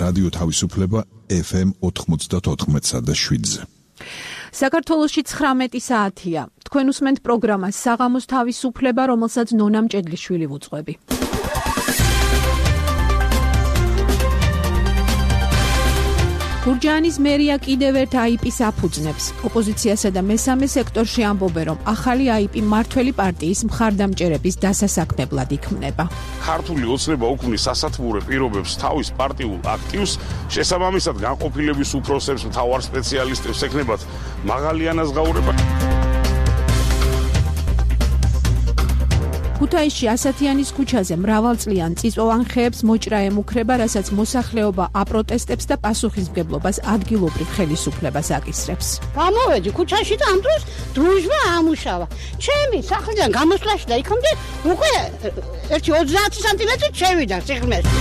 რადიო თავისუფლება FM 94.7-ზე. საქართველოში 19 საათია. თქვენ უსმენთ პროგრამას საღამოს თავისუფლება, რომელსაც ნონა მჭედლიშვილი ვუძღვები. გურჯაანის მერია კიდევ ერთ აიპის აფუძნებს. ოპოზიციასა და მესამე სექტორში ამბობენ, რომ ახალი აიპი მართველი პარტიის მხარდამჭერების დასასაქმებლად იქმნება. ქართული ოცნება უქმნის სასათბურე პირობებს თავის პარტიულ აქტივს, შესაბამისად განყოფილების უფროსებს, მთავარ სპეციალისტებს ეკნებათ მაღალი ანაზღაურება. ქუთაისში ასათიანის ქუჩაზე მრავალწლიან წიწვოვან ხეებს მოჭრა ემუქრება, რასაც მოსახლეობა აპროტესტებს და პასუხისმგებლობას ადგილობრივ ხელისუფლებას აკისრებს. გამოვედი ქუჩაში და ამ დროს დროშმა ამუშავა. ჩემი სახლიდან გამოსვლაში და იქამდე უკვე 1-30 სანტიმეტრი შევიდა სიღრმეში.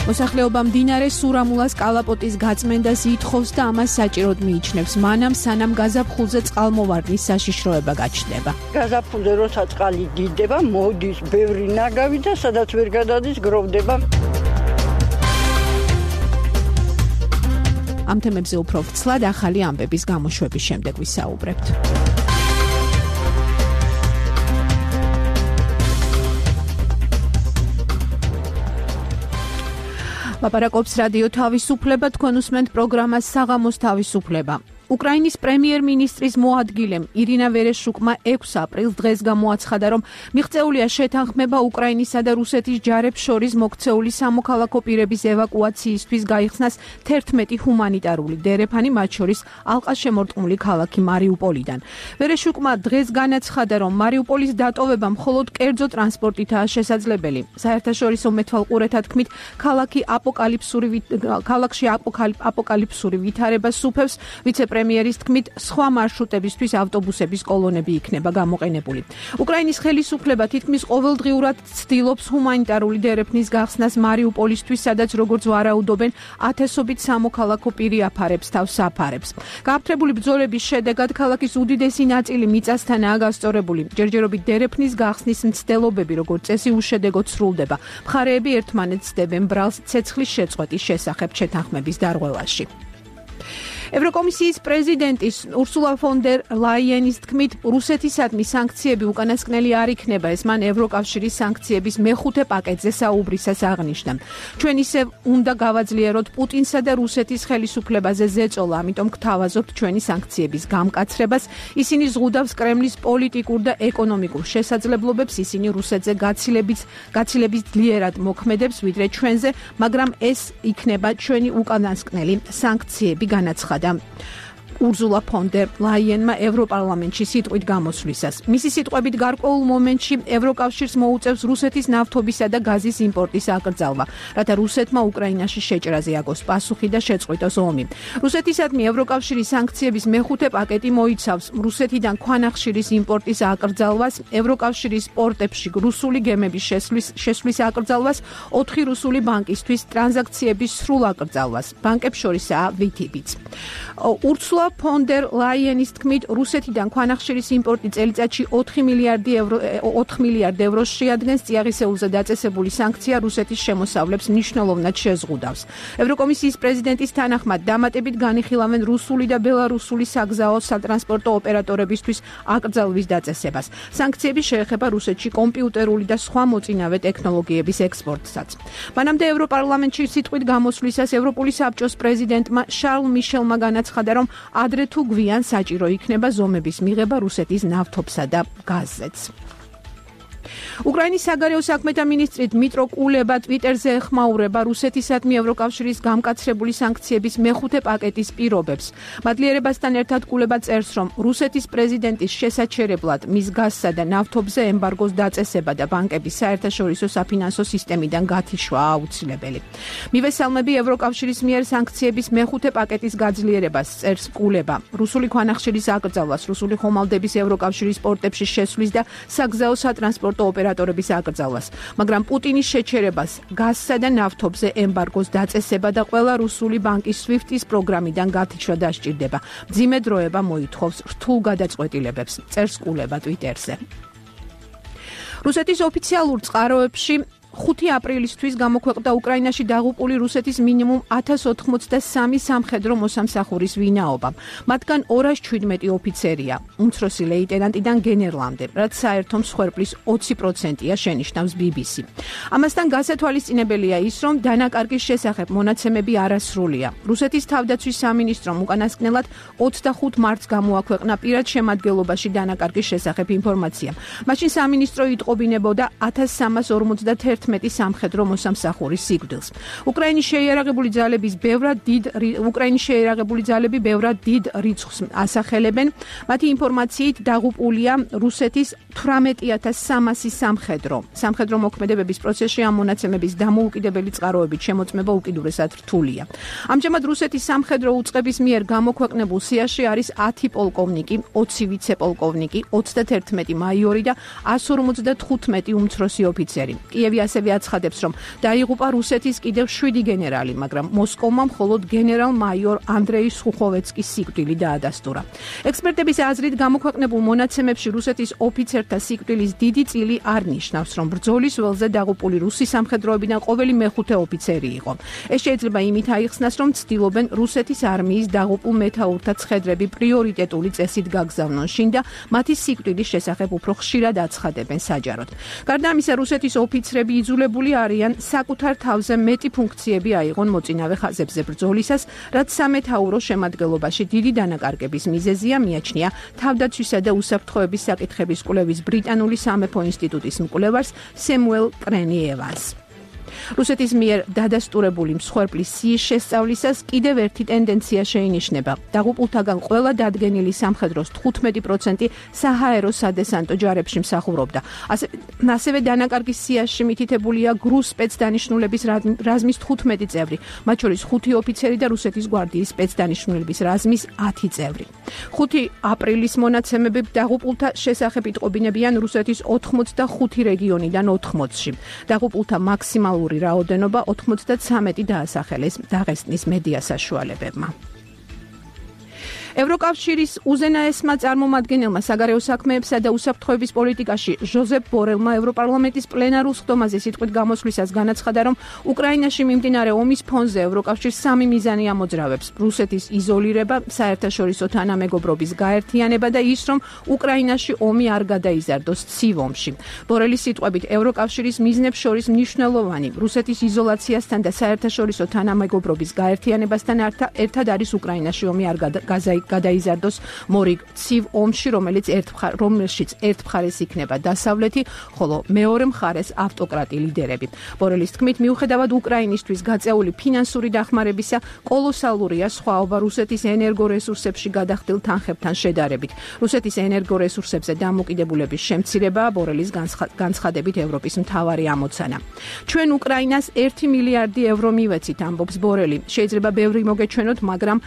მოსახლეობა მდინარე სურამულას კალაპოტის გაწმენდას ითხოვს და ამას საჭიროდ მიიჩნევს, მანამ სანამ გაზაფხულზე წყალმოვარდნის საშიშროება გაჩნდება. გაზაფხულზე როცა წყალი დიდდება, მოდის ბევრი ნაგავი და სადაც ვერ გადადის გროვდება. ამ თემებზე უფრო ვრცლად ახალი ამბების გამოშვების შემდეგ ვისაუბრებთ. ლაპარაკობს რადიო თავისუფლება, თქვენ უსმენთ პროგრამას საღამოს თავისუფლება. უკრაინის პრემიერ-მინისტრის მოადგილემ ირინა ვერეშუკმა 6 აპრილს დღეს გამოაცხადა, რომ მიღწეულია შეთანხმება უკრაინისა და რუსეთის ჯარებს შორის მოქცეული სამოქალაქო პირების ევაკუაციისთვის გაიხსნას 11 ჰუმანიტარული დერეფანი, მათ შორის ალყაშემორტყმული ქალაქი მარიუპოლიდან. ვერეშუკმა დღეს განაცხადა, რომ მარიუპოლის დატოვება მხოლოდ კერძო ტრანსპორტითაა შესაძლებელი. საერთაშორისო მეთვალყურეთა თქმით, ქალაქში აპოკალიფსური ვითარება სუფევს. ვიცე-პრემიერის თქმით, სხვა მარშრუტებისთვის ავტობუსების კოლონები იქნება გამოყენებული. უკრაინის ხელისუფლება თითქმის ყოველდღიურად ცდილობს ჰუმანიტარული დერეფნის გახსნას მარიუპოლისთვის, სადაც როგორც ვარაუდობენ, ათასობით სამოქალაქო პირი აფარებს თავს საფარებს. გააფთრებული ბრძოლების შედეგად ქალაქის უდიდესი ნაწილი მიწასთანაა გასწორებული. ჯერჯერობით დერეფნის გახსნის მცდელობები, როგორც წესი, უშედეგოდ სრულდება. მხარეები ერთმანეთს სდებენ ბრალს ცეცხლის შეწყვეტის შესახებ შეთანხმების დარღვევაში. ევროკომისიის პრეზიდენტის ურსულა ფონ დერ ლაიენის თქმით, რუსეთისადმი სანქციები უკანასკნელი არ იქნება, ეს მან ევროკავშირის სანქციების მეხუთე პაკეტზე საუბრისას აღნიშნა. ჩვენ ისევ უნდა გავაძლიეროთ პუტინსა და რუსეთის ხელისუფლებაზე ზეწოლა, ამიტომ გთავაზობთ ჩვენი სანქციების გამკაცრებას. ისინი ზღუდავს კრემლის პოლიტიკურ და ეკონომიკურ შესაძლებლობებს, ისინი რუსეთზე გაცილებით ძლიერად მოქმედებს ვიდრე ჩვენზე, მაგრამ ეს იქნება ჩვენი უკანასკნელი სანქციები, განაცხადა ურსულა ფონ დერ ლაიენმა ევროპარლამენტში სიტყვით გამოსვლისას. მისი სიტყვებით გარკვეულ მომენტში ევროკავშირს მოუწევს რუსეთის ნავთობისა და გაზის იმპორტის აკრძალვა, რათა რუსეთმა უკრაინაში შეჭრაზე აგოს პასუხი და შეწყვიტოს ომი. რუსეთისადმი ევროკავშირის სანქციების მეხუთე პაკეტი მოიცავს რუსეთიდან ქვანახშირის იმპორტის აკრძალვას, ევროკავშირის პორტებში რუსული გემების შესვლის აკრძალვას, 4 რუსული ბანკისთვის ტრანზაქციების სრულ აკრძალვას. ბანკებს შორისაა VTB-ც. ურსულა ფონ დერ ლაიენის თქმით, რუსეთიდან ქვანახშირის იმპორტი წელიწადში 4 მილიარდ ევროს შეადგენს. წიაღისეულზე დაწესებული სანქცია რუსეთის შემოსავლებს მნიშვნელოვნად შეზღუდავს. ევროკომისიის პრეზიდენტის თანახმად დამატებით განიხილავენ რუსული და ბელარუსული საგზაო სატრანსპორტო ოპერატორებისთვის აკრძალვის დაწესებას. სანქციები შეეხება რუსეთში კომპიუტერული და სხვა მოწინავე ტექნოლოგიების ექსპორტსაც. მანამდე ევროპარლამენტში სიტყვით გამოსვლისას ევროპული საბჭოს პრეზიდენტმა შარლ მიშელმა განაცხადა, რომ ადრე თუ გვიან საჭირო იქნება ზომების მიღება რუსეთის ნავთობსა და გაზზეც. უკრაინის საგარეო საქმეთა მინისტრი დმიტრო კულება ტვიტერზე ეხმაურება რუსეთისადმი ევროკავშირის გამკაცრებული სანქციების მეხუთე პაკეტის პირობებს. მადლიერებასთან ერთად კულება წერს, რომ რუსეთის პრეზიდენტის შესაჩერებლად მის გაზსა და ნავთობზე ემბარგოს დაწესება და ბანკების საერთაშორისო საფინანსო სისტემიდან გათიშვა აუცილებელი. მივესალმები ევროკავშირის მიერ სანქციების მეხუთე პაკეტის გაძლიერებას, წერს კულება. რუსული ქვანახშირის აკრძალვას, რუსული ხომალდების ევროკავშირის პორტებში შესვლის და საგზაო სატრანსპორტო ოპერატორების აკრძალვას, მაგრამ პუტინის შეჩერებას, გაზსა და ნავთობზე ემბარგოს დაწესება და ყველა რუსული ბანკის SWIFT-ის პროგრამიდან გათიშვა დასჭირდება. მძიმე დროება მოითხოვს რთულ გადაწყვეტილებებს, წერს კულება ტვიტერზე. რუსეთის ოფიციალურ წყაროებში 5 აპრილისთვის გამოქვეყნდა უკრაინაში დაღუპული რუსეთის მინიმუმ 1083 სამხედრო მოსამსახურის ვინაობა. მათგან 217 ოფიცერია, უმცროსი ლეიტენანტიდან გენერლამდე, რაც საერთო მსხვერპლის 20%-ია, შენიშნავს BBC. ამასთან გასათვალისწინებელია ის, რომ დანაკარგის შესახებ მონაცემები არასრულია. რუსეთის თავდაცვის სამინისტრომ უკანასკნელად 25 მარტს გამოაქვეყნა პირად შემადგენლობაში დანაკარგის შესახებ ინფორმაცია. მაშინ სამინისტრო იტყობინებოდა 1351 სამხედრო მოსამსახურის სიკვდილს. უკრაინის შეიარაღებული ძალები ბევრად დიდ რიცხვს ასახელებენ. მათი ინფორმაციით დაღუპულია რუსეთის 18300 სამხედრო მოქმედებების პროცესში ამ მონაცემების დამოუკიდებელი წყაროებით შემოწმება უკიდურესად რთულია. ამჟამად რუსეთის სამხედრო უწყების მიერ გამოქვეყნებულ სიაში არის 10 პოლკოვნიკი, 20 ვიცე-პოლკოვნიკი, 31 მაიორი და 155 უმცროსი ოფიცერი. კიევი ასევე აცხადებს, რომ დაიღუპა რუსეთის კიდევ 7 გენერალი, მაგრამ მოსკოვმა მხოლოდ გენერალ-მაიორ ანდრეი სუხოვეცკის სიკვდილი დაადასტურა. ექსპერტების აზრით გამოქვეყნებულ მონაცემებში რუსეთის ოფიცერთა სიკვდილის დიდი წილი არ ნიშნავს, რომ ბრძოლის ველზე დაღუპული რუსი სამხედროებიდან ყოველი მეხუთე ოფიცერი იყო. ეს შეიძლება იმით აიხსნას, რომ ცდილობენ რუსეთის არმიის დაღუპულ მეთაურთა ცხედრები პრიორიტეტული წესით გაგზავნონ შინ და მათი სიკვდილის შესახებ უფრო ხშირად აცხადებენ საჯაროდ. გარდა ამისა, რუსეთის ოფიცრები იძულებული არიან საკუთარ თავზე მეტი ფუნქციები აიღონ მოწინავე ხაზებზე ბრძოლისას, რაც სამეთაურო შემადგენლობაში დიდი დანაკარგების მიზეზია, მიაჩნია თავდაცვისა და უსაფრთხოების საკითხების კვლევის ბრიტანული სამეფო ინსტიტუტის მკვლევარს სემუელ კრენი-ევანს. რუსეთის მიერ დადასტურებული მსხვერპლის სიის შესწავლისას კიდევ ერთი ტენდენცია შეინიშნება. დაღუპულთაგან ყველა დადგენილი სამხედროს 15% საჰაერო სადესანტო ჯარებში მსახურობდა. ასევე დანაკარგის სიაში მითითებულია გრუს სპეცდანიშნულების რაზმის 15 წევრი, მათ შორის 5 ოფიცერი და რუსეთის გვარდიის სპეცდანიშნულების რაზმის 10 წევრი. 5 აპრილის მონაცემები დაღუპულთა შესახებ იტყობინებიან რუსეთის 85 რეგიონიდან 80-ში. დაღუპულთა მაქსიმალური რაოდენობა 93 დაასახელეს დაღესტნის მედია საშუალებებმა. ევროკავშირის უზენაესმა წარმომადგენელმა საგარეო საქმეებსა და უსაფრთხოების პოლიტიკაში ჟოზეფ ბორელმა ევროპარლამენტის პლენარულ სხდომაზე სიტყვით გამოსვლისას განაცხადა, რომ უკრაინაში მიმდინარე ომის ფონზე ევროკავშირს 3 მიზანი ამოძრავებს: რუსეთის იზოლირება, საერთაშორისო თანამეგობრობის გაერთიანება და ის, რომ უკრაინაში ომი არ გადაიზარდოს ცივ ომში. ბორელის სიტყვებით, ევროკავშირის მიზნებს შორის მნიშვნელოვანი რუსეთის იზოლაციასთან და საერთაშორისო თანამეგობრობის გაერთიანებასთან ერთად არის უკრაინაში ომი არ გადაიზარდოს მორიგ ცივ ომში, რომელშიც ერთ მხარეს იქნება დასავლეთი, ხოლო მეორე მხარეს ავტოკრატი ლიდერები. ბორელის თქმით, მიუხედავად უკრაინისთვის გაწეული ფინანსური დახმარებისა, კოლოსალურია სხვაობა რუსეთის ენერგორესურსებში გადახდილ თანხებთან შედარებით. რუსეთის ენერგორესურსებზე დამოკიდებულების შემცირებაა ბორელის განცხადებით ევროპის მთავარი ამოცანა. ჩვენ უკრაინას 1 მილიარდი ევრო მივეცით, ამბობს ბორელი. შეიძლება ბევრი მოგეჩვენოთ, მაგრამ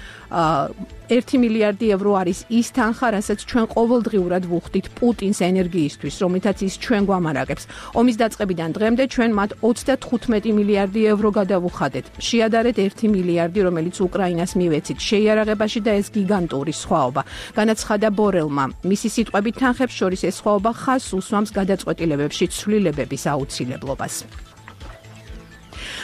1 მილიარდი ევრო არის ის თანხა, რასაც ჩვენ ყოველდღიურად ვუხდით პუტინს ენერგიისთვის, რომლითაც ის ჩვენ გვამარაგებს. ომის დაწყებიდან დღემდე ჩვენ მათ 35 მილიარდი ევრო გადავუხადეთ. შეადარეთ 1 მილიარდი, რომელიც უკრაინას მივეცით შეიარაღებაში და ეს გიგანტური სხვაობა. განაცხადა ბორელმა. მისი სიტყვებით, თანხებს შორის ეს სხვაობა ხაზს უსვამს გადაწყვეტილებებში ცვლილებების აუცილებლობას.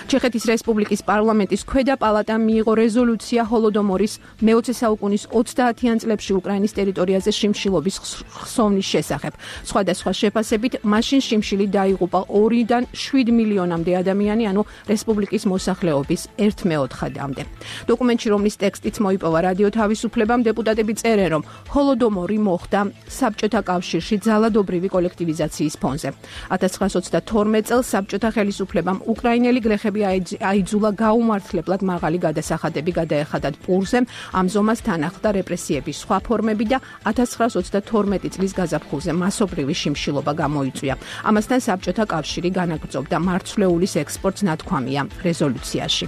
ჩეხეთის რესპუბლიკის პარლამენტის ქვედა პალატამ მიიღო რეზოლუცია ჰოლოდომორის მე-20 საუკუნის 30-იან წლებში უკრაინის ტერიტორიაზე შიმშილობის ხსოვნის შესახებ. სხვადასხვა შეფასებით, მაშინ შიმშილი დაიღუპა 2-დან 7 მილიონამდე ადამიანი, ანუ რესპუბლიკის მოსახლეობის 1/4-მდე. დოკუმენტში, რომლის ტექსტიც მოიპოვა რადიო თავისუფლებამ, დეპუტატები წერენ, რომ ჰოლოდომორი მოხდა საბჭოთა კავშირში ძალადობრივი კოლექტივიზაციის ფონზე. 1922 წელს საბჭოთა ხელისუფლებამ უკრაინელი გლეხები აიძულა გაუმართლებლად მაღალი გადასახადები გადაეხადათ პურზე, ამ ზომას თან ახლდა რეპრესიების სხვა ფორმები და 1922 წლის გაზაფხულზე მასობრივი შიმშილობა გამოიწვია. ამასთან საბჭოთა კავშირი განაგრძობდა მარცვლეულის ექსპორტს, ნათქვამია რეზოლუციაში.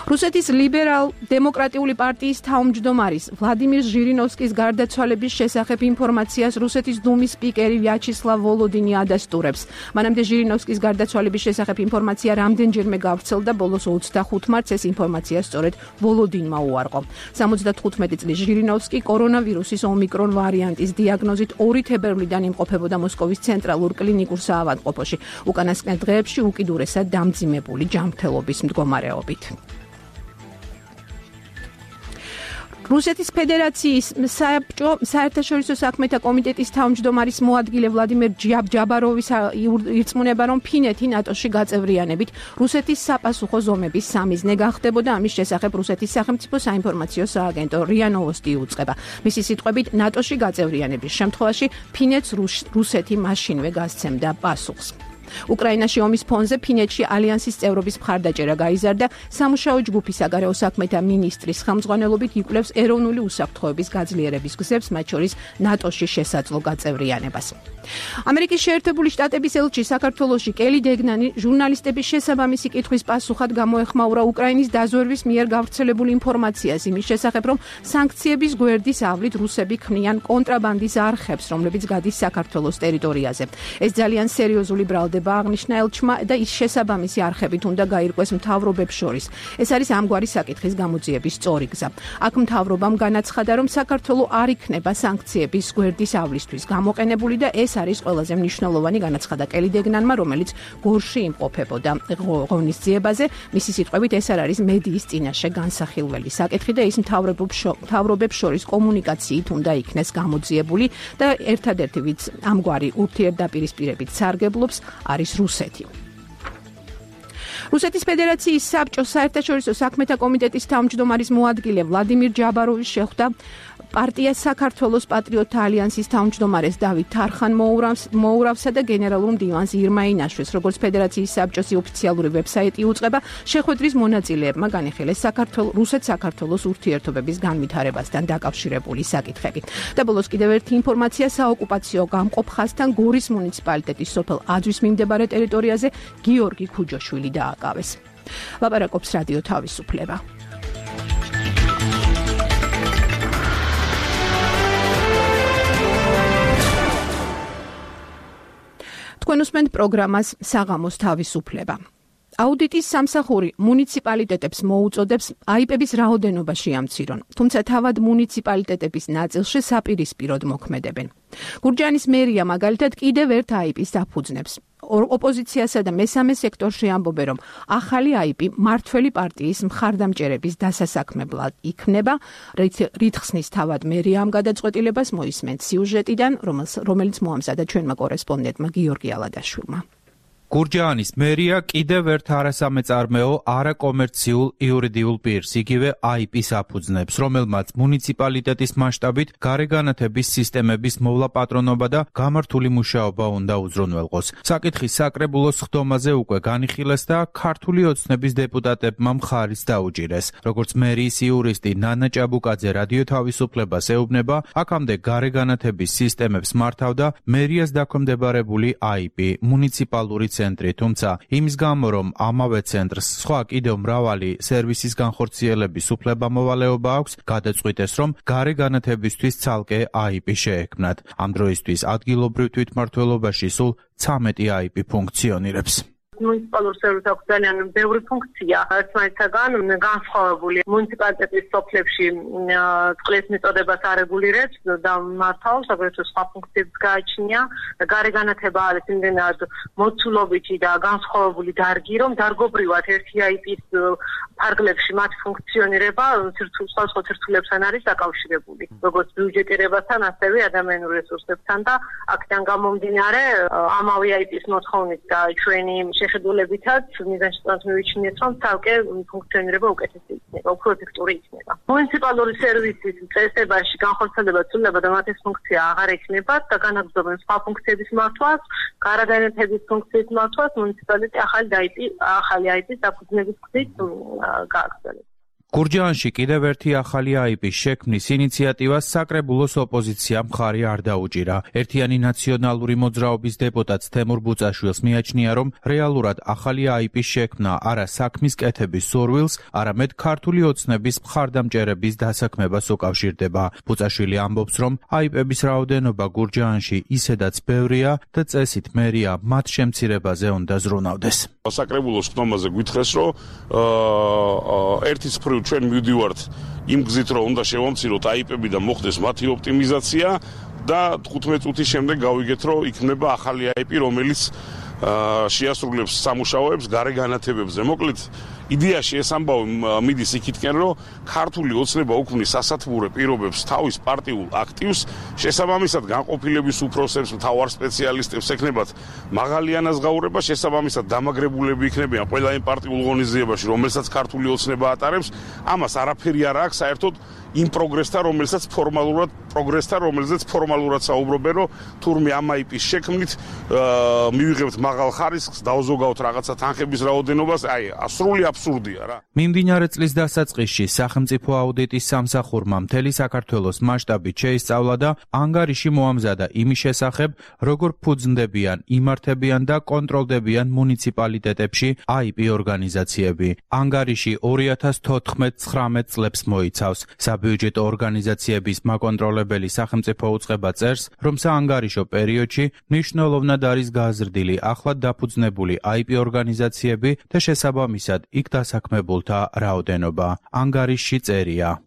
რუსეთის ლიბერალ-დემოკრატიული პარტიის თავმჯდომარის ვლადიმირ ჟირინოვსკის გარდაცვალების შესახებ ინფორმაციას რუსეთის დუმის სპიკერი ვიაჩესლავ ვოლოდინი ადასტურებს. მანამდე ჟირინოვსკის გარდაცვალების შესახებ ინფორმაცია რამდენჯერმე გავრცელდა, ბოლოს 25 მარტს ეს ინფორმაცია სწორედ ვოლოდინმა უარყო. 75 წლის ჟირინოვსკი კორონავირუსის ომიკრონ ვარიანტის დიაგნოზით 2 თებერვლიდან იმყოფებოდა მოსკოვის ცენტრალურ კლინიკურ საავადმყოფოში, უკანასკნელ დღეებში უკიდურესად დამძიმებული ჯანმრთელობის მდგომარეობით. რუსეთის ფედერაციის საერთაშორისო საქმეთა კომიტეტის თავმჯდომარის მოადგილე ვლადიმერ ჯაბაროვის ირწმუნება, რომ ფინეთი ნატოში გაწევრიანებით რუსეთის საპასუხო ზომების სამიზნე გახდებოდა. ამის შესახებ რუსეთის სახელმწიფო საინფორმაციო სააგენტო რია ნოვოსტი იუწყება. მისი სიტყვებით, ნატოში გაწევრიანების შემთხვევაში ფინეთს რუსეთი მაშინვე გასცემდა პასუხს. უკრაინაში ომის ფონზე ფინეთში ალიანსის წევრობის მხარდაჭერა გაიზარდა. სამუშაო ჯგუფი საგარეო საქმეთა მინისტრის ხელმძღვანელობით იკვლევს ეროვნული უსაფრთხოების გაძლიერების გზებს, მათ შორის ნატოში შესაძლო გაწევრიანებას. ამერიკის შეერთებული შტატების ელჩი საქართველოში კელი დეგნანი ჟურნალისტების შესაბამისი კითხვის პასუხად გამოეხმაურა უკრაინის დაზვერვის მიერ გავრცელებული ინფორმაციას იმის შესახებ, რომ სანქციების გვერდის ავლით რუსები ქმნიან კონტრაბანდის არხებს, რომლებიც გადის საქართველოს ტერიტორიაზე. ეს ძალიან სერიოზული ბრალდება აღნიშნა ელჩმა და ის შესაბამისი არხებით უნდა გაირკვეს მთავრობებს შორის. ეს არის ამგვარი საკითხის გამოძიების სწორი გზა. აქ მთავრობამ განაცხადა, რომ საქართველო არ იქნება სანქციების გვერდის ავლისთვის გამოყენებული და ეს არის ყველაზე მნიშვნელოვანი, განაცხადა კელი დეგნანმა, რომელიც გორში იმყოფებოდა ღონისძიებაზე. მისი სიტყვებით, ეს არ არის მედიის წინაშე განსახილველი საკითხი და ის მთავრობებს შორის კომუნიკაციით უნდა იქნეს გამოძიებული და ერთადერთი ვინც ამგვარი ურთიერთდაპირისპირებით სარგებლობს არის რუსეთი. რუსეთის ფედერაციის საბჭოს საერთაშორისო საქმეთა კომიტეტის თავმჯდომარის მოადგილე ვლადიმირ ჯაბაროვის შეხვდა პარტია საქართველოს პატრიოტთა ალიანსის თავმჯდომარეს დავით თარხან-მოურავსა და გენერალურ მდივანს ირმა ინაშვილს. როგორც ფედერაციის საბჭოს ოფიციალური ვებსაიტი უწყება, შეხვედრის მონაწილეებმა განიხილეს რუსეთ-საქართველოს ურთიერთობების განვითარებასთან დაკავშირებული საკითხები. და ბოლოს კიდევ ერთი ინფორმაცია, საოკუპაციო გამყოფ ხაზთან გორის მუნიციპალიტეტის სოფელ აძვის მიმდებარე ტერიტორიაზე გიორგი ქუჯოშვილი დააკავეს. ლაპარაკობს რადიო თავისუფლება. თქვენ უსმენთ პროგრამას საღამოს თავისუფლება. აუდიტის სამსახური მუნიციპალიტეტებს მოუწოდებს აიპების რაოდენობა შეამცირონ, თუმცა თავად მუნიციპალიტეტების ნაწილში საპირისპიროდ მოქმედებენ. გურჯაანის მერია მაგალითად კიდევ ერთ აიპის დაფუძნებს. ოპოზიციასა და მესამე სექტორში ამბობენ, რომ ახალი აიპი მართველი პარტიის მხარდამჭერების დასასაქმებლად იქნება. რითხსნის თავად მერია ამ გადაწყვეტილებას მოისმენთ სიუჟეტიდან, რომელიც მოამზადა ჩვენმა კორესპონდენტმა გიორგი ალადაშვილმა. გურჯაანის მერია კიდევ ერთ არასამეწარმეო არაკომერციულ იურიდიულ პირს, იგივე აიპის აფუძნებს, რომელმაც მუნიციპალიტეტის მასშტაბით გარეგანათების სისტემების მოვლაპატრონობა და გამართული მუშაობა უნდა უზრუნველყოს. საკითხის საკრებულოს ხდომაზე უკვე განიხილეს და ქართული ოცნების დეპუტატებმა მხარიც დაუჭირეს. როგორც მერიის იურისტი ნანა ჭაბუკაძე რადიო თავისუფლებას ეუბნება, აქამდე გარეგანათების სისტემებს მართავდა მერიას დაქვემდებარებული აიპი, მუნიციპალური ცენტრი, თუმცა იმის გამო, რომ ამავე ცენტრს სხვა კიდევ მრავალი სერვისის განხორციელების უფლება-მოვალეობა აქვს, გადაწყვიტეს, რომ გარეგანათებისთვის ცალკე აიპი შეექმნათ. ამ დროისთვის ადგილობრივ თვითმმართველობაში სულ 13 აიპი ფუნქციონირებს. მუნიციპალურ სერვისს აქვს ძალიან ბევრი ფუნქცია. ერთმანეთთაგან განსხვავებული მუნიციპალიტეტის სოფლებში წყლის მიწოდებას არეგულირებს და მართავს, აგრეთვე სხვა ფუნქციებს გააჩნია. გარეგანათება არის იმდენად მოცულობითი და განსხვავებული დარგი, რომ დარგობრივად ერთი აიპის ფარგლებში მათ ფუნქციონირება სხვადასხვა ცირცულებთან არის დაკავშირებული. როგორც ბიუჯეტირებასთან, ასევე ადამიანურ რესურსებთან და აქედან გამომდინარე ამავე აიპის მოთხოვნით და ჩვენი შეხედულებითაც მიზანშეწონს მივიჩნიეთ, რომ ცალკე ფუნქციონირება უკეთესი იქნება, უფრო ეფექტური იქნება. მუნიციპალური სერვისის წესებაში განხორციელება ცვლილება და მათი ფუნქცია აღარ ექნებათ და განაგრძობენ სხვა ფუნქციების მართვას, გარეგანათების ფუნქციის მართვას მუნიციპალიტეტი ახალი აიპის დაფუძნების გზით გააგრძელებს. გურჯაანში კიდევ ერთი ახალი აიპის შექმნის ინიციატივას საკრებულოს ოპოზიცია მხარი არ დაუჭირა. ერთიანი ნაციონალური მოძრაობის დეპუტატ თემურ ბუწაშვილს მიაჩნია, რომ რეალურად ახალი აიპის შექმნა არა საქმის კეთების სურვილს, არამედ ქართული ოცნების მხარდამჭერების დასაქმებას უკავშირდება. ბუწაშვილი ამბობს, რომ აიპების რაოდენობა გურჯაანში ისედაც ბევრია და წესით მერია მათ შემცირებაზე უნდა ზრუნავდეს. საკრებულოს ხდომაზე გვითხრეს, რომ ერთის მხრივ ჩვენ მივდივართ იმ გზით, რომ უნდა შევამციროთ აიპები და მოხდეს მათი ოპტიმიზაცია და 15 წუთის შემდეგ გავიგეთ, რომ იქნება ახალი აიპი, რომელიც შეასრულებს სამუშაოებს გარე განათებებზე. მოკლედ, იდეაში ეს ამბავი მიდის იქითკენ, რომ ქართული ოცნება უქმნის სასათბურე პირობებს თავის პარტიულ აქტივს, შესაბამისად განყოფილების უფროსებს, მთავარ სპეციალისტებს ეკნებათ მაღალი ანაზღაურება, შესაბამისად დამაგრებულები იქნებიან ყველა იმ პარტიულ ღონისძიებაში, რომელსაც ქართული ოცნება ატარებს. ამას არაფერი არ აქვს საერთოდ იმ პროგრესთან, რომელზეც ფორმალურად საუბრობენ, რომ თურმე ამ აიპის შექმნით მივიღებთ მაღალ ხარისხს, დავზოგავთ რაღაცა თანხების რაოდენობას, სრული აბსურდია რა. მიმდინარე წლის დასაწყისში სახელმწიფო აუდიტის სამსახურმა მთელი საქართველოს მასშტაბით შეისწავლა და ანგარიში მოამზადა იმის შესახებ, როგორ ფუძნდებიან, იმართებიან და კონტროლდებიან მუნიციპალიტეტებში აიპი ორგანიზაციები. ანგარიში 2014-19 წლებს მოიცავს. საბიუჯეტო ორგანიზაციების მაკონტროლებელი სახელმწიფო უწყება წერს, რომ საანგარიშო პერიოდში მნიშვნელოვნად არის გაზრდილი ახლად დაფუძნებული აიპი ორგანიზაციები და შესაბამისად იქ დასაქმებულთა რაოდენობა. ანგარიშში წერია.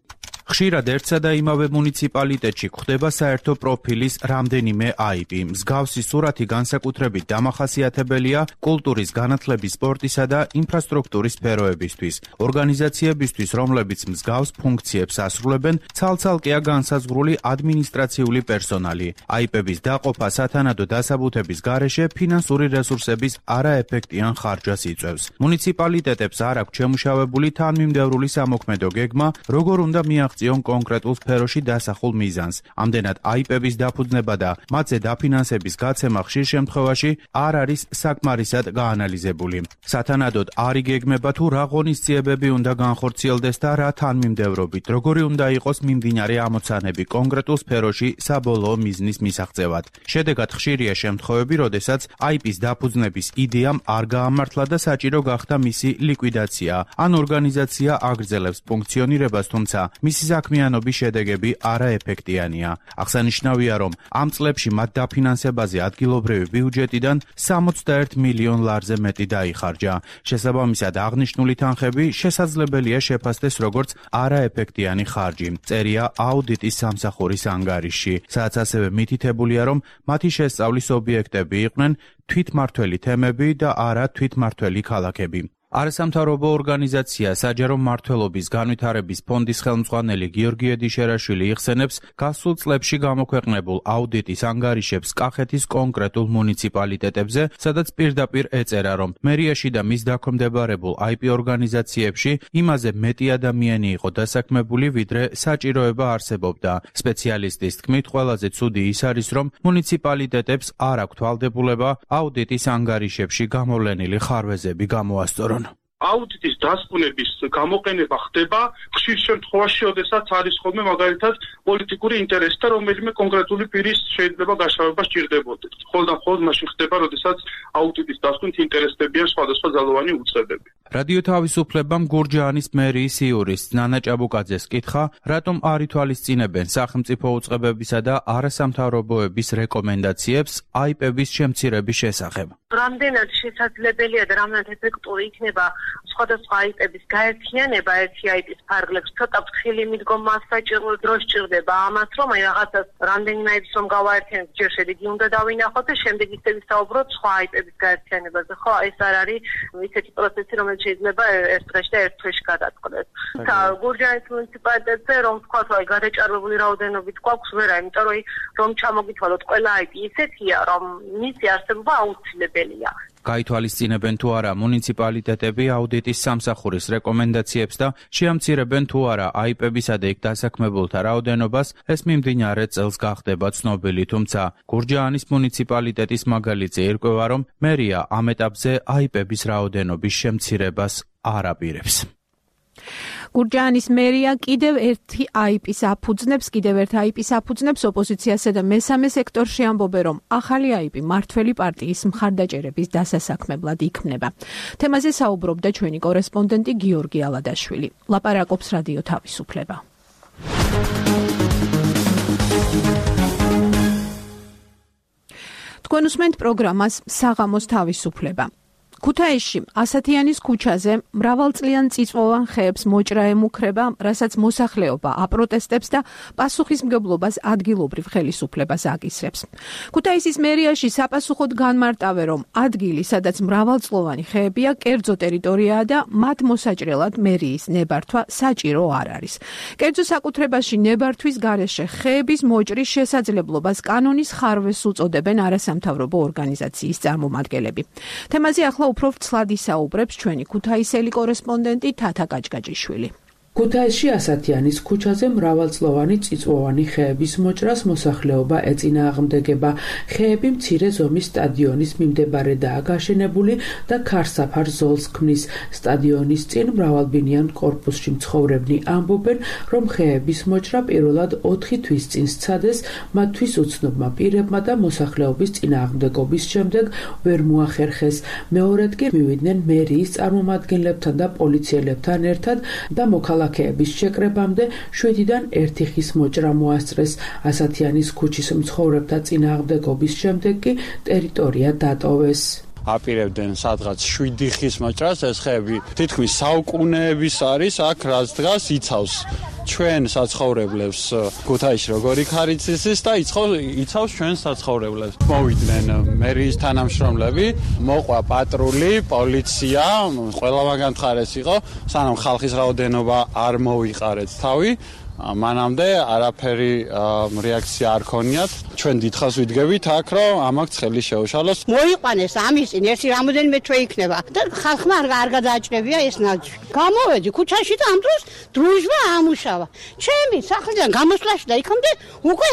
ხშირად ერთსა და იმავე მუნიციპალიტეტში გვხდება საერთო პროფილის რამდენიმე აიპი. მსგავსი სურათი განსაკუთრებით დამახასიათებელია კულტურის, განათლების, სპორტისა და ინფრასტრუქტურის სფეროებისთვის. ორგანიზაციებისთვის, რომლებიც მსგავს ფუნქციებს ასრულებენ, ცალ-ცალკეა განსაზღვრული ადმინისტრაციული პერსონალი. აიპების დაყოფა სათანადო დასაბუთების გარეშე ფინანსური რესურსების არაეფექტიან ხარჯვას იწვევს. მუნიციპალიტეტებს არ აქვს შემუშავებული თანმიმდევრული სამოქმედო გეგმა, როგორ უნდა მიაღწიონ კონკრეტულ სფეროში დასახულ მიზანს. ამდენად აიპების დაფუძნება და მათზე დაფინანსების გაცემა ხშირ შემთხვევაში არ არის საკმარისად გაანალიზებული. სათანადოდ არ იგეგმება თუ რა ღონისძიებები უნდა განხორციელდეს და რა თანმიმდევრობით, როგორი უნდა იყოს მიმდინარე ამოცანები კონკრეტულ სფეროში საბოლოო მიზნის მისაღწევად. შედეგად ხშირია შემთხვევები, როდესაც აიპის დაფუძნების იდეამ არ გაამართლა და საჭირო გახდა მისი ლიკვიდაცია, ან ორგანიზაცია აგრძელებს ფუნქციონირებას, თუმცა მისი საქმიანობის შედეგები არაეფექტიანია. აღსანიშნავია, რომ ამ წლებში მათ დაფინანსებაზე ადგილობრივი ბიუჯეტიდან 61 მილიონ ლარზე მეტი დაიხარჯა. შესაბამისად, აღნიშნული თანხები შესაძლებელია შეფასდეს როგორც არაეფექტიანი ხარჯი. წერია აუდიტის სამსახურის ანგარიში, სადაც ასევე მითითებულია, რომ მათი შესწავლის ობიექტები იყვნენ თვითმმართველი თემები და არა თვითმმართველი ქალაქები. არასამთავრობო ორგანიზაცია საჯარო მმართველობის განვითარების ფონდის ხელმძღვანელი გიორგი ედიშერაშვილი იხსენებს გასულ წლებში გამოქვეყნებულ აუდიტის ანგარიშებს კახეთის კონკრეტულ მუნიციპალიტეტებზე, სადაც პირდაპირ ეწერა, რომ მერიაში და მის დაქვემდებარებულ აიპი ორგანიზაციებში იმაზე მეტი ადამიანი იყო დასაქმებული, ვიდრე საჭიროება არსებობდა. სპეციალისტის თქმით, ყველაზე ცუდი ის არის, რომ მუნიციპალიტეტებს არ აქვთ ვალდებულება აუდიტის ანგარიშებში გამოვლენილი ხარვეზები გამოასწორონ. აუდიტის დასკვნების გამოყენება ხდება ხშირ შემთხვევაში, როდესაც არის ხოლმე მაგალითად პოლიტიკური ინტერესი და რომელიმე კონკრეტული პირის შეიძლება გაშავება სჭირდებოდეს. ხოლმე მაშინ ხდება, როდესაც აუდიტის დასკვნით ინტერესდებიან სხვადასხვა ძალოვანი უწყებები. რადიო თავისუფლებამ გურჯაანის მერიის იურისტ ნანა ჭაბუკაძეს კითხა, რატომ არ ითვალისწინებენ სახელმწიფო უწყებებისა და არასამთავრობოების რეკომენდაციებს აიპების შემცირების შესახებ. რამდენად შესაძლებელია და რამდენად ეფექტური იქნება სხვადასხვა აიპების გაერთიანება ერთი აიპის ფარგლებს, ცოტა ფრთხილი მიდგომა საჭირო დრო სჭირდება ამას, რომ აი რაღაცას რამდენიმე აიპს რომ გავაერთიანოთ, ჯერ შედეგი უნდა დავინახოთ და შემდეგ ისე ვისაუბროთ სხვა აიპების გაერთიანებაზე. ხო, ეს არ არის ისეთი პროცესი, რომელიც შეიძლება ერთ დღეში და ერთ თვეში გადაწყდეს. გურჯაანის მუნიციპალიტეტზე რომ ვთქვათ, აი გადაჭარბებული რაოდენობით გვაქვს ვერა, იმიტომ რომ ჩამოგითვალოთ ყველა აიპი ისეთია, რომ მისი არსებობა აუცილებელია. გაითვალისწინებენ თუ არა მუნიციპალიტეტები აუდიტის სამსახურის რეკომენდაციებს და შეამცირებენ თუ არა აიპებისა და იქ დასაქმებულთა რაოდენობას, ეს მიმდინარე წელს გახდება ცნობილი, თუმცა გურჯაანის მუნიციპალიტეტის მაგალითზე ირკვევა, რომ მერია ამ ეტაპზე აიპების რაოდენობის შემცირებას არ აპირებს. გურჯაანის მერია კიდევ ერთ IP-ს აფუძნებს ოპოზიციასა და მესამე სექტორში ამბობენ, რომ ახალი IP მართველი პარტიის მხარდაჭერების დასასაქმებლად იქმნება. თემაზე საუბრობდა ჩვენი კორესპონდენტი გიორგი ალადაშვილი. ლაპარაკობს რადიო თავისუფლება. თქვენ უსმენთ პროგრამას საღამოს თავისუფლება. ქუთაისში ასათიანის ქუჩაზე მრავალწლიან წიწვოვან ხეებს მოჭრა ემუქრება, რასაც მოსახლეობა აპროტესტებს და პასუხისმგებლობას ადგილობრივ ხელისუფლებას აკისრებს. ქუთაისის მერიაში საპასუხოდ განმარტავენ, რომ ადგილი, სადაც მრავალწლოვანი ხეებია, კერძო ტერიტორიაა და მათ მოსაჭრელად მერიის ნებართვა საჭირო არ არის. კერძო საკუთრებაში ნებართვის გარეშე ხეების მოჭრის შესაძლებლობას კანონის ხარვეს უწოდებენ არასამთავრობო ორგანიზაციის წარმომადგენლები. თემაზე ახლა უფრო ვრცლად ისაუბრებს ჩვენი ქუთაისელი კორესპონდენტი თათა კაჭკაჭიშვილი. ქუთაისში ასათიანის ქუჩაზე მრავალწლოვანი წიწვოვანი ხეების მოჭრას მოსახლეობა ეწინააღმდეგება. ხეები მცირე ზომის სტადიონის მიმდებარედაა გაშენებული და ქარსაფარ ზოლს ქმნის. სტადიონის წინ მრავალბინიან კორპუსში მცხოვრებნი ამბობენ, რომ ხეების მოჭრა პირველად 4 თვის წინ სცადეს მათთვის უცნობმა პირებმა და მოსახლეობის წინააღმდეგობის შემდეგ ვერ მოახერხეს. მეორედ კი მივიდნენ მერიის წარმომადგენლებთან და პოლიციელებთან ერთად და მოქალაქეების შეკრებამდე 7-დან 1 ხის მოჭრა მოასწრეს. ასათიანის ქუჩის მცხოვრებთა წინააღმდეგობის შემდეგ კი ტერიტორია დატოვეს. აპირებდნენ სადღაც 7 ხის მოჭრას, ეს ხეები თითქმის საუკუნეების არის, აქ რაც დგას იცავს ჩვენ საცხოვრებლებს ქუთაისში როგორი ქარიცის და იცავს ჩვენ საცხოვრებლებს. მოვიდნენ მერიის თანამშრომლები, მოყვა პატრული, პოლიცია, ყველა მაგან მხარეს იყო, სანამ ხალხის რაოდენობა არ მოვიყარეთ თავი. მანამდე არაფერი რეაქცია არ ქონიათ. ჩვენ დიდხანს ვიდგებით აქ, რომ ამაგ ცხელი შეუშალოს. მოიყვანეს ამის წინ ერთი რამოდენიმე თვე იქნება და ხალხმა არ გადააჭრებია ეს ნაძვი. გამოვედი ქუჩაში და ამ დროს დრუჟვა ამუშავა. ჩემი სახლიდან გამოსვლაში და იქამდე უკვე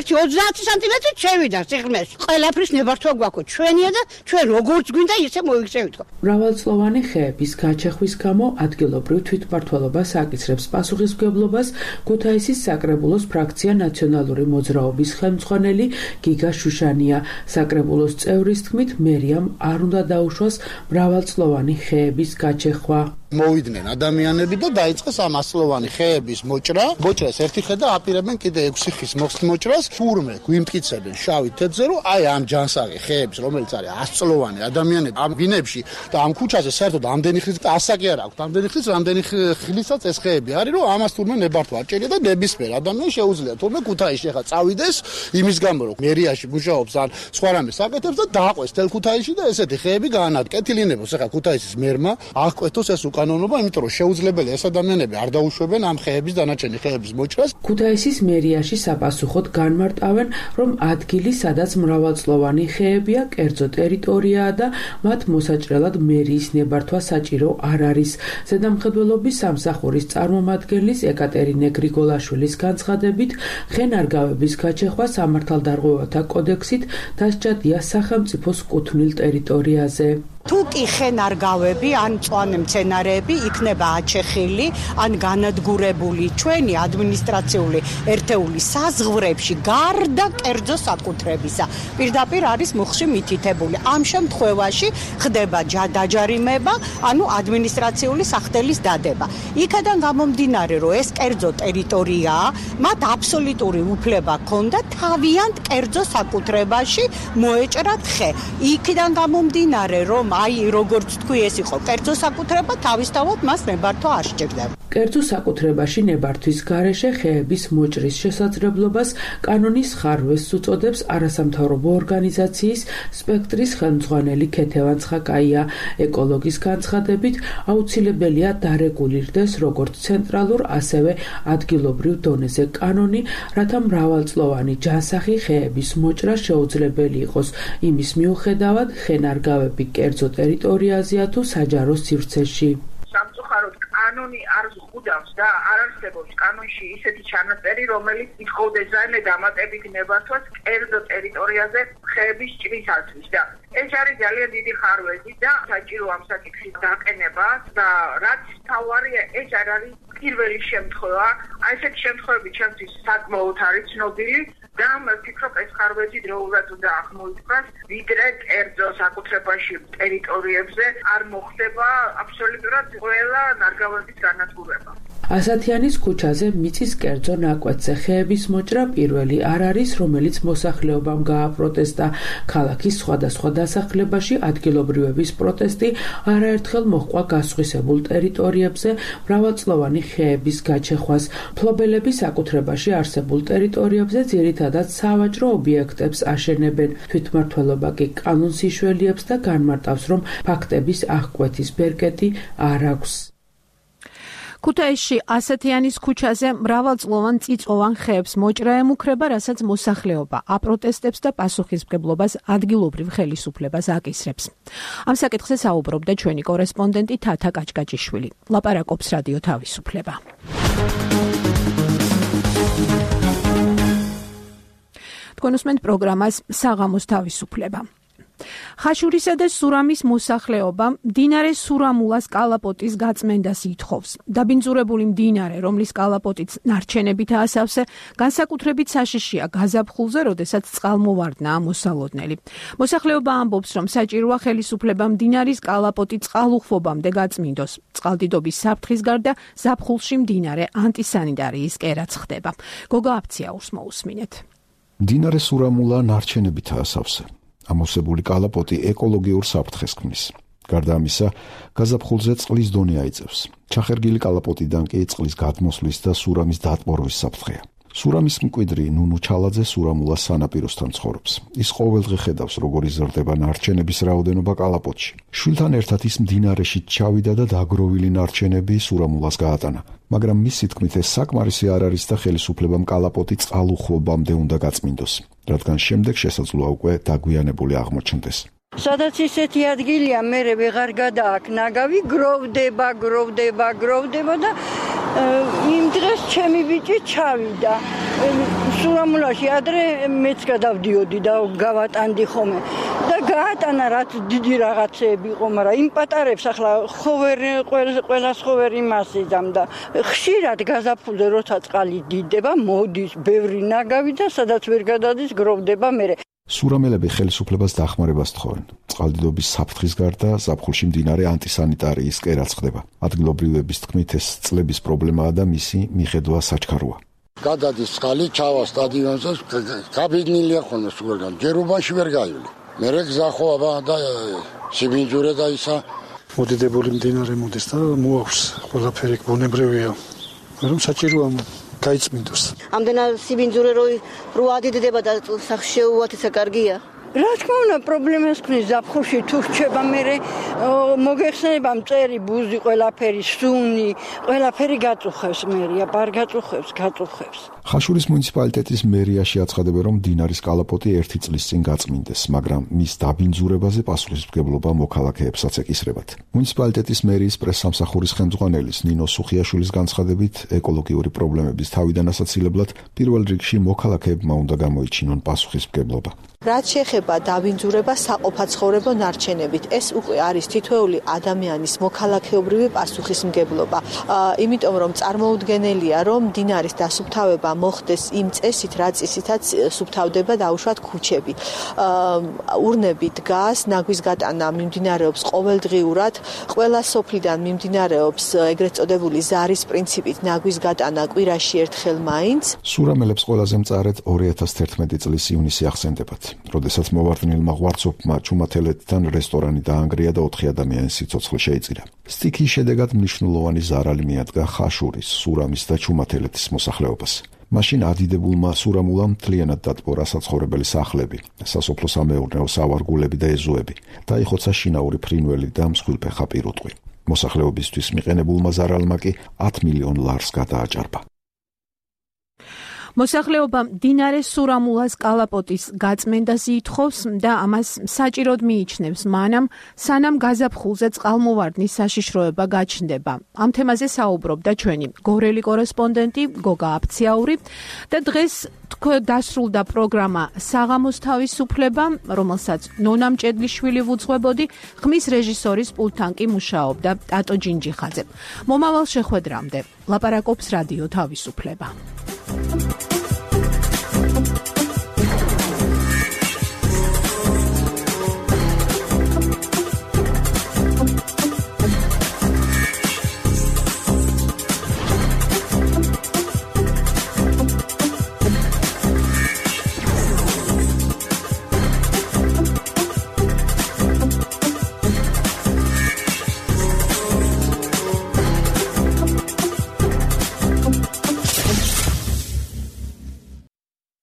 ერთი 30 სანტიმეტრი შევიდა სიღრმეში. ყველაფრის ნებართვა გვაქვს ჩვენია და ჩვენ როგორც გვინდა ისე მოიქცევით. მრავალწლოვანი ხეების გაჩეხვის გამო ადგილობრივ თვითმმართველობას აკისრებს პასუხისმგებლობას ქუთაისის საკრებულოს ფრაქცია ნაციონალური მოძრაობის ხელმძღვანელი გიგა შუშანია. საკრებულოს წევრის თქმით, მერიამ არ უნდა დაუშვას მრავალწლოვანი ხეების გაჩეხვა. მოვიდნენ ადამიანები და დაიწყეს ამ 100-ლოვანი ხეების მოჭრა. მოჭრას ერთი ხე და აპირებენ კიდე 6 ხის მოჭრას. თურმე გვიმტკიცებენ შავი თეთრზე, რომ აი ამ ჯანსაღი ხეების, რომელიც არის 100-წლოვანი ადამიანები ამ ვინებში და ამ ქუჩაზე საერთოდ ამდენი ხნის და ასაკი არ აქვს. ამდენი ხნის, რამდენი ხილისაც ეს ხეები არის, რომ ამას თურმე ნებართვა არ ჭერია და ნებისმიერ ადამიანს შეუძლია თურმე ქუთაისში ახლა წავიდეს იმის გამო, რომ მერიაში მუშაობს ან სხვა რამეს აკეთებს და დააყვეს თელ ქუთაისში და ესეთი ხეები გაანადგეთილინებოს. ახლა ქუთაისის მერმა აღკვეთოს ეს კანონობა, იმიტომ რომ შეუძლებელი ეს ადამიანები არ დაუშვებენ ამ ხეების დანარჩენი ხეების მოჭრას. ქუთაისის მერიაში საპასუხოდ განმარტავენ, რომ ადგილი, სადაც მრავალწლოვანი ხეებია, კერძო ტერიტორიაა და მათ მოსაჭრელად მერიის ნებართვა საჭირო არ არის. ზედამხედველობის სამსახურის წარმომადგენლის ეკატერინე გრიგოლაშვილის განცხადებით, ხენარგავების გაჩეხვა სამართალდარღვევათა კოდექსით დასჯადია სახელმწიფოს კუთვნილ ტერიტორიაზე. თუ კი ხენარგავები ან მწვანე მცენარეები იქნება აჩეხილი ან განადგურებული ჩვენი ადმინისტრაციული ერთეულის საზღვრებში გარდა კერძო საკუთრებისა, პირდაპირ არის მუხლში მითითებული. ამ შემთხვევაში ხდება დაჯარიმება, ანუ ადმინისტრაციული სახდელის დადება. იქიდან გამომდინარე, რომ ეს კერძო ტერიტორიაა, მათ აბსოლუტური უფლება ჰქონდა თავიანთ კერძო საკუთრებაში მოეჭრათ ხე. იქიდან გამომდინარე, რომ აი როგორც თქვი ეს იყო კერძო საკუთრება, თავისთავად მას ნებართვა არ სჭირდება. კერძო საკუთრებაში ნებართვის გარეშე ხეების მოჭრის შესაძლებლობას კანონის ხარვეს უწოდებს არასამთავრობო ორგანიზაციის სპექტრის ხელმძღვანელი ქეთევან ცხაკაია. ეკოლოგის განცხადებით, აუცილებელია დარეგულირდეს როგორც ცენტრალურ, ასევე ადგილობრივ დონეზე კანონი, რათა მრავალწლოვანი ჯანსაღი ხეების მოჭრა შეუძლებელი იყოს. იმის მიუხედავად, ხენარგავები კერძო ტერიტორიაზეა თუ საჯარო სივრცეში. სამწუხაროდ კანონი კანონი არ ზღუდავს და არ არსებობს კანონში ისეთი ჩანაწერი, რომელიც ითხოვდეს რაიმე დამატებით ნებართვას კერძო ტერიტორიაზე ხეების ჭრისათვის და ეს არის ძალიან დიდი ხარვეზი და საჭირო ამ საკითხის დაყენება და რაც თავარია ეს არ არის პირველი შემთხვევა. აი ესეთი შემთხვევები ჩემთვის საკმაოდ არის ცნობილი და ვფიქრობ ეს ხარვეზი დროულად უნდა აღმოიფხვრას, ვიდრე კერძო საკუთრებაში ტერიტორიებზე არ მოხდება აბსოლუტურად ყველა ნარგავების განადგურება. ასათიანის ქუჩაზე მიწის კერძო ნაკვეთზე ხეების მოჭრა პირველი არ არის, რომელიც მოსახლეობამ გააპროტესტა. ქალაქის სხვადასხვა დასახლებაში ადგილობრივების პროტესტი არაერთხელ მოჰყვა გასხვისებულ ტერიტორიებზე მრავალწლოვანი ხეების გაჩეხვას. მფლობელები საკუთრებაში არსებულ ტერიტორიებზე ძირითადად სავაჭრო ობიექტებს აშენებენ. თვითმმართველობა კი კანონს იშველიებს და განმარტავს, რომ ფაქტების აღკვეთის ბერკეტი არ აქვს. ქუთაისში ასათიანის ქუჩაზე მრავალწლოვან წიწვოვან ხეებს მოჭრა ემუქრება, რასაც მოსახლეობა აპროტესტებს და პასუხისმგებლობას ადგილობრივ ხელისუფლებას აკისრებს. ამ საკითხზე საუბრობდა ჩვენი კორესპონდენტი თათა კაჭკაჭიშვილი. ლაპარაკობს რადიო თავისუფლება. თქვენ უსმენთ პროგრამას საღამოს თავისუფლება. ხაშურისა და სურამის მოსახლეობა მდინარე სურამულას კალაპოტის გაწმენდას ითხოვს. დაბინძურებული მდინარე, რომლის კალაპოტიც ნარჩენებითაა სავსე, განსაკუთრებით საშიშია გაზაფხულზე, როდესაც წყალმოვარდნაა მოსალოდნელი. მოსახლეობა ამბობს, რომ საჭიროა ხელისუფლება მდინარის კალაპოტი წყალუხვობამდე გაწმინდოს. წყალდიდობის საფრთხის გარდა ზაფხულში მდინარე ანტისანიტარიის კერაც ხდება. გოგა აფციაურს მოусმინეთ. მდინარე სურამულა ნარჩენებითაა სავსე. ამოვსებული კალაპოტი ეკოლოგიურ საფრთხეს ქმნის. გარდა ამისა, გაზაფხულზე წყლის დონე აიწევს. ჩახერგილი კალაპოტიდან კი წყლის გადმოსვლის და სურამის დატბორვის საფრთხეა. სურამის მკვიდრი ნუნუ ჩალაძე სურამულას სანაპიროსთან ცხოვრობს. ის ყოველდღე ხედავს, როგორ იზრდება ნარჩენების რაოდენობა კალაპოტში. შვილთან ერთად ის მდინარეში ჩავიდა და დაგროვილი ნარჩენები სურამულას გაატანა. მაგრამ მისი თქმით ეს საკმარისი არ არის და ხელისუფლებამ კალაპოტი წყალუხვობამდე უნდა გაწმინდოს, რადგან შემდეგ შესაძლოა უკვე დაგვიანებული აღმოჩნდეს. სადაც ისეთი ადგილია, მე ვეღარ გადააქვს ნაგავი, გროვდება და იმ დღეს ჩემი ბიჭი ჩავიდა. სურამულაში ადრე მეც გადავდიოდი და გავატანდი ხოლმე და გაატანა რაც დიდი რაღაცეები იყო, მაგრამ იმ პატარებს ახლა ყველას ხოვერი მასიზამ და ხშირად გაზაფხულზე როცა წყალი დიდდება, მოდის ბევრი ნაგავი და სადაც ვერ გადადის გროვდება მერე. სურამელები ხელისუფლებას დახმარებას თხოვენ. წყალდიდობის საფრთხის გარდა ზაფხულში მდინარე ანტისანიტარიის კერაც ხდება. ადგილობრივების თქმით ეს წლების პრობლემაა და მისი მიხედვა საჩქაროა. გადადის წყალი, ჩავა სტადიონზე, გაბინილია ხოლმე სულგან. ჯერუბაში ვერ გაივლის. მერე გზახოვა და სიბინძურე და ისა მოდიდებული მდინარე მოდის და მოაქვს ყველაფერი ბუნებრივია. რომ საჭიროა გაიწმინდოს. ამდენად სიბინძურე რო ადიდება და სახში შეუვათესა კარგია. რა თქმა უნდა, პრობლემას ქმნის ზაფხულში თუ რჩება მერე მოგეხსენება მწერი ბუზი, ყველაფერი სუნი, ყველაფერი გაწუხებს მერია, ბარ გაწუხებს. ხაშურის მუნიციპალიტეტის მერიაში აცხადებენ, რომ მდინარის კალაპოტი 1 წლის წინ გაწმინდეს, მაგრამ მის დაბინძურებაზე პასუხისმგებლობა მოქალაქეებსაც ეკისრებათ. მუნიციპალიტეტის მერიის პრესსამსახურის ხელმძღვანელის ნინო სუხიაშვილის განცხადებით, ეკოლოგიური პრობლემების თავიდან ასაცილებლად პირველ რიგში მოქალაქეებმა უნდა გამოიჩინონ პასუხისმგებლობა. რაც შეეხება დაბინძურებას საყოფაცხოვრებო ნარჩენებით, ეს უკვე არის თითოეული ადამიანის მოქალაქეობრივი პასუხისმგებლობა. იმიტომ რომ წარმოუდგენელია, რომ მდინარის დასუფთავება მოხდეს იმ წესით, რა წესითაც სუფთავდება დაუშვათ ქუჩები. ურნები დგას, ნაგვის გატანა მიმდინარეობს ყოველდღიურად, ყველა სოფლიდან მიმდინარეობს ეგრეთ წოდებული ზარის პრინციპით ნაგვის გატანა კვირაში ერთხელ მაინც. სურამელებს ყველაზე მწარედ 2011 წლის ივნისი ახსენდებათ. როდესაც მოვარდნილმა ღვარცოფმა ჩუმათელეთთან რესტორანი დაანგრია და 4 ადამიანის სიცოცხლე შეიწირა. სტიქის შედეგად მნიშვნელოვანი ზარალი მიადგა ხაშურის, სურამის და ჩუმათელეთის მოსახლეობას. მაშინ ადიდებულმა სურამულამ მთლიანად დატბორა საცხოვრებელი სახლები, სასოფლო-სამეურნეო სავარგულები და ეზოები, დაიხოცა შინაური ფრინველი და მსხვილფეხა პირუტყვი. მოსახლეობისთვის მიყენებულმა ზარალმა კი 10 მილიონ ლარს გადააჭარბა. მოსახლეობა მდინარე სურამულას კალაპოტის გაწმენდას ითხოვს და ამას საჭიროდ მიიჩნევს მანამ, სანამ გაზაფხულზე წყალმოვარდნის საშიშროება გაჩნდება. ამ თემაზე საუბრობდა ჩვენი გორელი კორესპონდენტი გოგა აფციაური და დღეს დასრულდა პროგრამა საღამოს თავისუფლება, რომელსაც ნონა მჭედლიშვილი ვუძღვებოდი, ხმის რეჟისორის პულტთან კი მუშაობდა ტატო ჯინჯიხაძე. მომავალ შეხვედრამდე ლაპარაკობს რადიო თავისუფლება.